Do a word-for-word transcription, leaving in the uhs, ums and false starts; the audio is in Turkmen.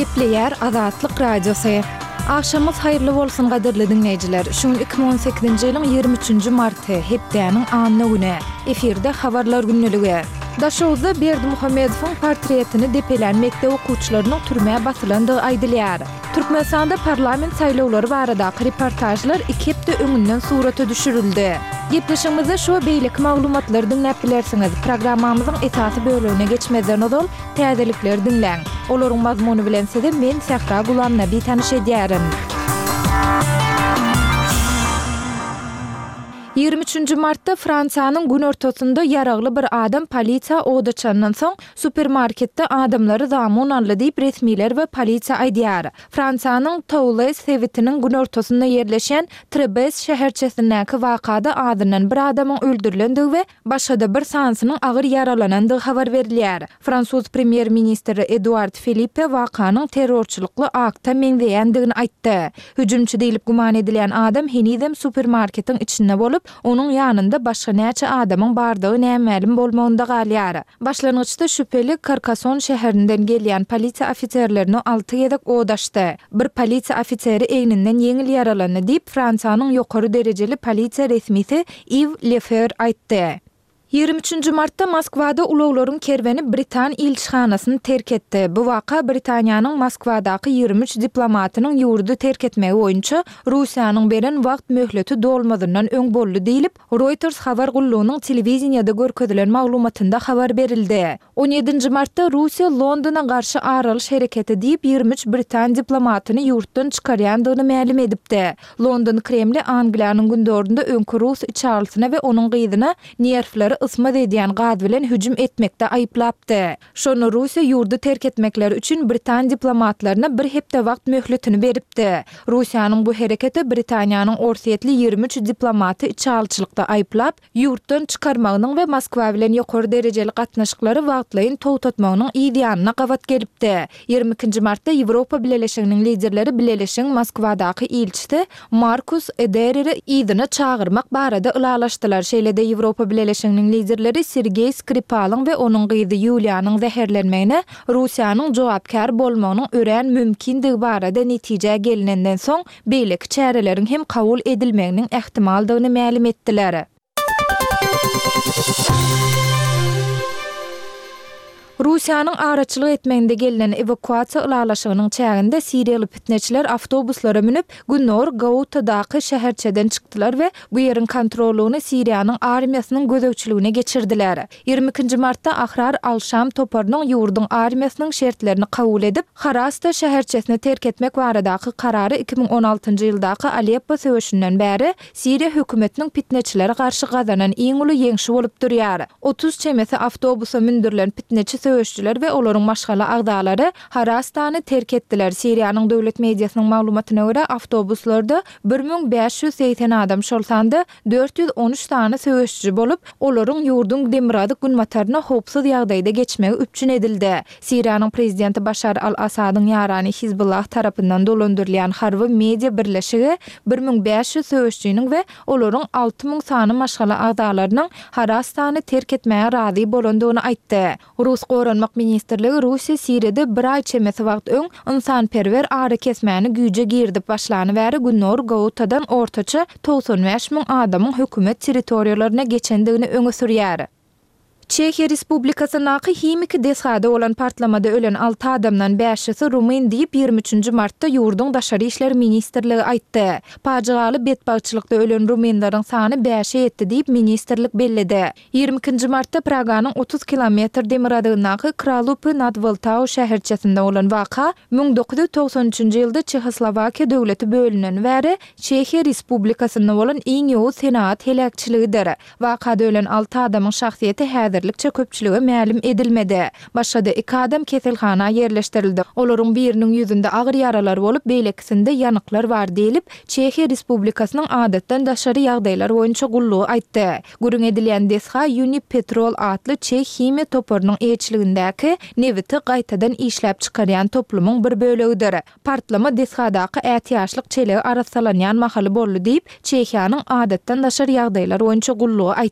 Gepleýär Azatlyk Radiosy. Agşamyňyz haýyrly bolsun gadyrly diňleýjiler. Şu gün iki müň on sekizinji ýylyň ýigrimi üçünji marty, hepdäniň anna güni. Efirde Habarlar gündeligi. Daşoguzda Berdimuhamedowyň portretini depelän mekdep okuwçylarynyň türmä basylandygy aýdylýar. Türkmenistanda parlament saýlawlary baradaky reportažlar iki hepde öňünden surata düşürildi. Gepleşigimizde şu we beýleki maglumatlary diňläp bilersiňiz. Programmamyzyň esasy bölegine geçmezden ozal, täzelikleri diňläň. Olaryň mazmuny bilen sizi men, Sähra Gulamnabi tanyş edýärin. Ýigrimi üçünji martda Fransiýanyň günortasynda ýaragly bir adam polisiýa od açandan soň, supermarketde adamlary zamun aldy diýip, resmiler we polisiýa aýdýar. Fransiýanyň Toulez sebitiniň günortasynda ýerleşýän Trebes şäherçesindäki wakada azyndan bir adamyň öldürilendigi we başga-da bir sanysynyň agyr ýaralanandygy habar berilýär. Fransuz premýer-ministri Eduard Filippe wakanyň terrorçylykly akta meňzeýändigini aýtdy. Hüjümçi diýlip güman edilýän adam henizem supermarketiň içinde bolup, onuň ýanynda başga näçe adamyň bardygy nämälim bolmagynda galýar. Başlangyçda şübheli Karkason şäherinden gelýän polisiýa ofiserlerine alty gezek od açdy. Bir polisiýa ofiseri egninden ýeňil ýaralandy diýip, Fransiýanyň ýokary derejeli polisiýa resmisi Iw Lefewer aýtdy. Ýigrimi üçünji martda Moskwada ulaglaryň kerweni britan ilçihanasyny terk etdi. Bu waka Britaniýanyň Moskwadaky ýigrimi üç diplomatynyň ýurdy terk etmegi boýunça Russiýanyň beren wagt möhleti dolmazyndan öň boldy diýlip, Reuters habar gullugynyň telewideniýede görkezilen maglumatynda habar berildi. On ýedinji martda Russiýa Londona garşy ar alyş hereketi diýip, ýigrimi üç britan diplomatyny ýurtdan çykarýandygyny mälim edipdi. London Kremli Angliýanyň gündogarynda öňki rus içalysyna we onuň gyzyna nerwleri ysmaz edýän gaz bilen hüjüm etmekde aýyplapdy. Şonda Russiýa ýurdy terk etmekleri üçin britan diplomatlaryna bir hepde wagt möhletini beripdi. Russiýanyň bu hereketi Britaniýanyň orsýetli ýigrimi üç diplomaty içalyçylykda aýyplap, ýurtdan çykarmagynyň we Moskwa bilen ýokary derejeli gatnaşyklary wagtlaýyn togtatmagynyň yz ýanyna gabat gelipdi. Ýigrimi ikinji martda Ýewropa Bileleşiginiň liderleri Bileleşigiň Moskwadaky ilçisi Markus Edereri yzyna çagyrmak barada ylalaşdylar. Şeýle-de Ýewropa Bileleşiginiň liderleri Sergeý Skripalyň we onuň gyzy Ýuliýanyň zäherlenmegine Russiýanyň jogapkär bolmagynyň örän mümkindigi barada netijä gelinenden soň beýleki çäreleriň hem kabul edilmeginiň ähtimaldygyny mälim etdiler. Russiýanyň araçylyk etmeginde gelnen ewakuasiýa ylalaşygynyň çäginde siriýaly pitneçiler awtobuslara münüp, Gündogar Gautadaky şäherçeden çykdylar we bu ýeriň kontrollygyny Siriýanyň armiýasynyň gözegçiligine geçirdiler. Ýigrimi ikinji martda Ahrar al-Şam toparynyň ýurduň armiýasynyň şertlerini kabul edip, Harasta şäherçesini terk etmek baradaky karary iki müň on altynjy ýyldaky Aleppo söweşinden bäri Siriýa hökümetiniň pitneçilere garşy gazanan iň uly ýeňşi bolup durýar. Otuz çemesi awtobusa mündürilen pitneçi söweşijiler we olaryň maşgala agzalary Harastany terk etdiler. Siriýanyň döwlet mediasynyň maglumatyna görä, awtobuslarda bir müň bäş ýüz segsen adam, şol sanda dört ýüz on üç sany söweşiji bolup, olaryň ýurduň demirgazyk-günbataryna howpsuz ýagdaýda geçmegi üpjün edildi. Siriýanyň prezidenti Başar al-Assadyň ýarany Hizbullah tarapyndan dolandyrylýan harby media birleşigi bir müň bäş ýüz söweşijiniň we olaryň alty müň sany maşgala agzalarynyň Harastany terk etmäge razy bolandygyny aýtdy. Rus Goranmak ministrligi Russiýa Siriýada bir aý çemesi wagt öň ynsanperwer arakesmäni güýje girizip başlany bäri Gündogar Gautadan ortaça togsan bäş müň adamyň hökümet territoriýalaryna geçendigini öňe sürýär. Çehiýa Respublikasyndaky himiki desgada bolan partlamada ölen alty adamdan bäşisi rumyn diýip, ýigrimi üçünji martda ýurduň Daşary işler ministrligi aýtdy. Pajygaly betbagtçylykda ölen rumynlaryň sany bäşe ýetdi diýip, ministrlik belledi. Ýigrimi ikinji martda Praganyň otuz kilometr demirgazygyndaky Kralupy nad Wltau şäherçesinde bolan waka müň dokuz ýüz togsan üçünji ýylda Çehoslowakiýa döwleti bölüneni bäri Çehiýa Respublikasynda bolan iň ýowuz senagat heläkçiligidir. Wakada ölen alty adamyň şahsyýeti häzirlikçe köpçülige mälim edilmedi. Başga-da iki adam keselhana ýerleşdirildi. Olaryň biriniň ýüzünde agyr ýaralar bolup, beýlekisinde ýanyklar bar diýlip, Çehiýa Respublikasynyň Adatdan daşary ýagdaýlar boýunça gullugy aýtdy. Gürrüň edilýän desga Unipetrol atly çeh himiýa toparynyň eýeçiligindäki nebiti gaýtadan işläp çykarýan toplumyň bir bölegidir. Partlama desgadaky ätiýaçlyk çelegi arassalanýan mahaly boldy diýip, Çehiýanyň Adatdan daşary ýagdaýlar boýunça gullugy aýtdy.